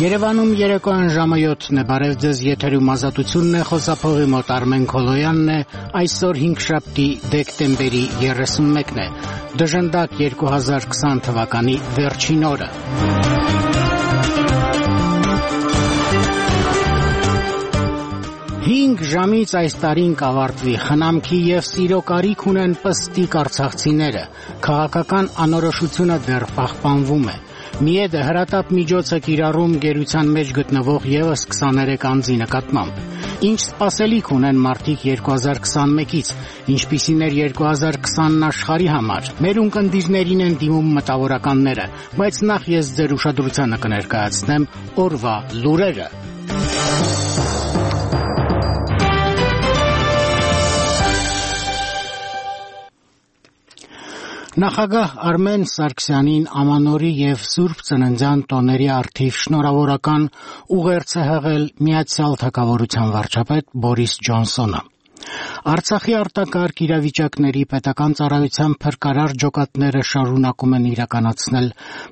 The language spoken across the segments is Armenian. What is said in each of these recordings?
Երևանում երեկոյան ժամը 7-ն է, բարև ձեզ, եթերում Ազատությունն է, խոսափողի մոտ Արմեն Քոլոյանն է, այսօր 5-շաբթի դեկտեմբերի 31-ն է, դժնդակ 2020 թվականի վերջին օրը։ Հինգ ժամից այս տարին կավարտվի, խնամքի և սիրո կարիք ունեն պստիկ արցախցիները, քաղաքական անորոշությունը դեռ պահպանվում է։ Միեդը հրատապ միջոց է կիրառում գերության մեջ գտնվող ևս 23 անձի նկատմամբ։ Ինչ սպասելիք ունեն մարդիկ 2021-ից, ինչպիսին էր 2020-ն աշխարհի համար։ Մեր ունկնդիրներին են դիմում մտավորականները, բայց նախ ես ձեր ուշադրությանը կներկայացնեմ օրվա լուրերը։ Նախագահ Արմեն Սարգսյանին ամանորի և Սուրբ Ծննդյան տոների առթիվ շնորհավորական ուղերձ է հղել Միացյալ Թագավորության վարչապետ Բորիս Ջոնսոնը։ Արցախի արտակարգ իրավիճակների պետական ծառայության փրկարար ջոկատները շարունակում են իրականացնել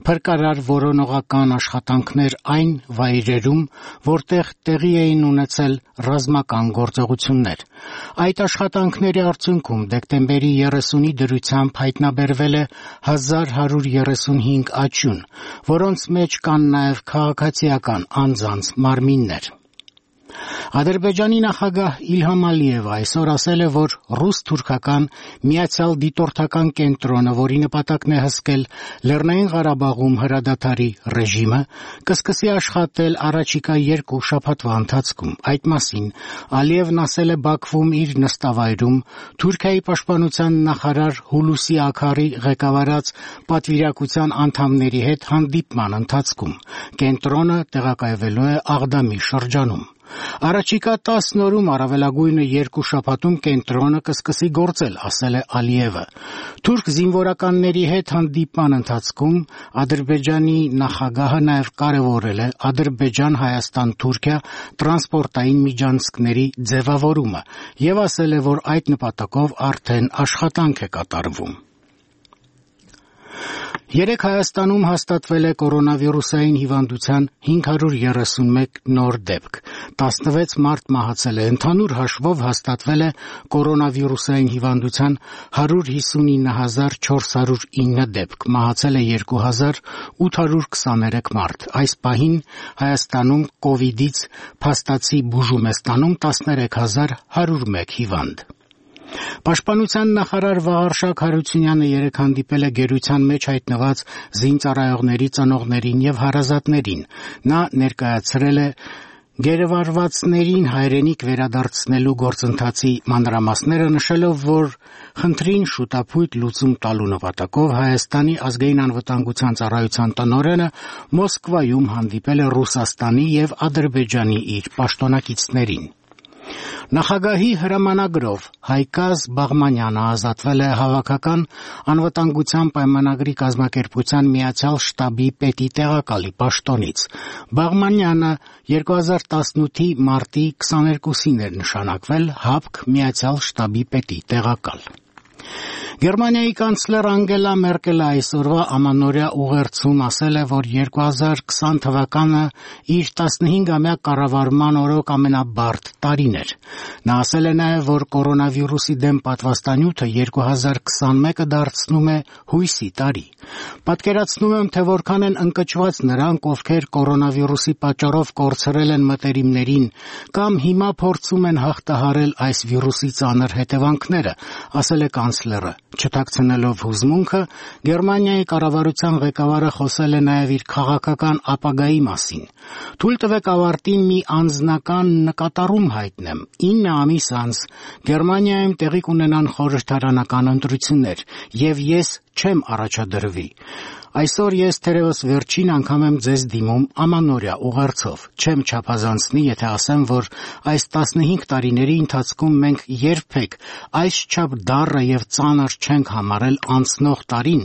փրկարար որոնողական աշխատանքներ այն վայրերում, որտեղ տեղի էին ունեցել ռազմական գործողություններ։ Այդ աշխատանքների արդյունքում դեկտեմբերի 30-ի դրությամբ հայտնաբերվել է 1135 աճյուն, որոնց մեջ կան նաև քաղաքացիական անձանց մարմիններ։ Ադրբեջանի նախագահ Իլհամ Ալիևը այսօր ասել է, որ ռուս-թուրքական միացյալ դիտորդական կենտրոնը, որի նպատակն է հսկել Լեռնային Ղարաբաղում հրադադարի ռեժիմը, կսկսի աշխատել առաջիկա 2 շաբաթվա ընթացքում։ Այդ մասին Ալիևն ասել է Բաքվում իր նստավայրում Թուրքիայի պաշտպանության նախարար Հուլուսի Աքարի ղեկավարած պատվիրակության անդամների հետ հանդիպման ընթացքում։ Կենտրոնը տեղակայվելու է Աղդամի շրջանում։ Առաջիկա 10 օրում առավելագույնը 2 շաբաթում կենտրոնը կսկսի գործել, ասել է Ալիևը։ Թուրք զինվորականների հետ հանդիպման ընթացքում Ադրբեջանի նախագահը նաև կարևորել է Ադրբեջան-Հայաստան-Թուրքիա տրանսպորտային միջանցքների ձևավորումը և ասել է, որ այդ նպատակով արդեն աշխատանք է կատարվում։ Երեկ Հայաստանում հաստատվել է կորոնավիրուսային հիվանդության 531 նոր դեպք, 16 մարդ մահացել է, ընդհանուր հաշվով հաստատվել է կորոնավիրուսային հիվանդության 159,409 դեպք, մահացել է 2823 մարդ։ Այս պահին Հայաստանում կովիդից փաստացի բուժում է ստանում 13101 հիվանդ։ Պաշտպանության նախարար Վաղարշակ Հարությունյանը երեկ հանդիպել է գերության մեջ հայտնված զինծառայողների ծնողներին և հարազատներին։ Նա ներկայացրել է գերեվարվածներին հայրենիք վերադարձնելու գործընթացի մանրամասները, նշելով, որ խնդրին շուտափույթ լուծում տալու նպատակով Հայաստանի ազգային անվտանգության ծառայության տնօրենը Մոսկվայում հանդիպել է Ռուսաստանի և Ադրբեջանի իր պաշտոնակիցներին։ Նախագահի հրամանագրով Հայկազ Բաղմանյանը ազատվել է Հավաքական անվտանգության պայմանագրի կազմակերպության Միացյալ շտաբի պետի տեղակալի պաշտոնից։ Բաղմանյանը 2018-ի մարտի 22-ին էր նշանակվել ՀԱՊԿ Միացյալ շտաբի պետի տեղակալ։ Գերմանիայի կանցլեր Անգելա Մերկելը այսօրվա ամանորյա ուղերձում ասել է, որ 2020 թվականը իր 15-ամյա կառավարման օրոք ամենաբարդ տարին էր։ Նա ասել է նաև, որ կորոնավիրուսի դեմ պատվաստանյութը 2021-ը դարձնում է հույսի տարի։ Պատկերացնում եմ, թե որքան են ընկճված նրանք, ովքեր կորոնավիրուսի պատճառով կորցրել են մտերիմներին կամ հիմա փորձում են հաղթահարել այս վիրուսի ծանր հետևանքները, ասել է կանցլերը։ Չթաքցնելով հուզմունքը, Գերմանիայի կառավարության ղեկավարը խոսել է նաև իր քաղաքական ապագայի մասին։ Թույլ տվեք ավարտին մի անձնական նկատառում հայտնեմ։ 9 ամիս անց Գերմանիայում տեղի կունենան խորհրդարանական ընտրություններ, և ես չեմ առաջադրվի։ Այսօր ես թերևս վերջին անգամ եմ ձեզ դիմում ամանորյա ուղերձով։ Չեմ չափազանցնի, եթե ասեմ, որ այս 15 տարիների ընթացքում մենք երբեք այսչափ դառը և ծանր չենք համարել անցնող տարին,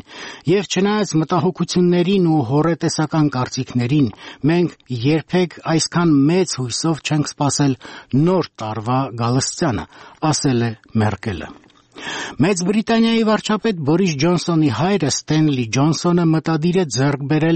և չնայած մտահոգություններին ու հոռետեսական կարծիքներին, մենք երբեք այսքան մեծ հույսով չենք սպասել նոր տարվա գալստյանը, ասել է Մերկելը։ Մեծ Բրիտանիայի վարչապետ Բորիս Ջոնսոնի հայրը Ստենլի Ջոնսոնը մտադիր է ձեռք բերել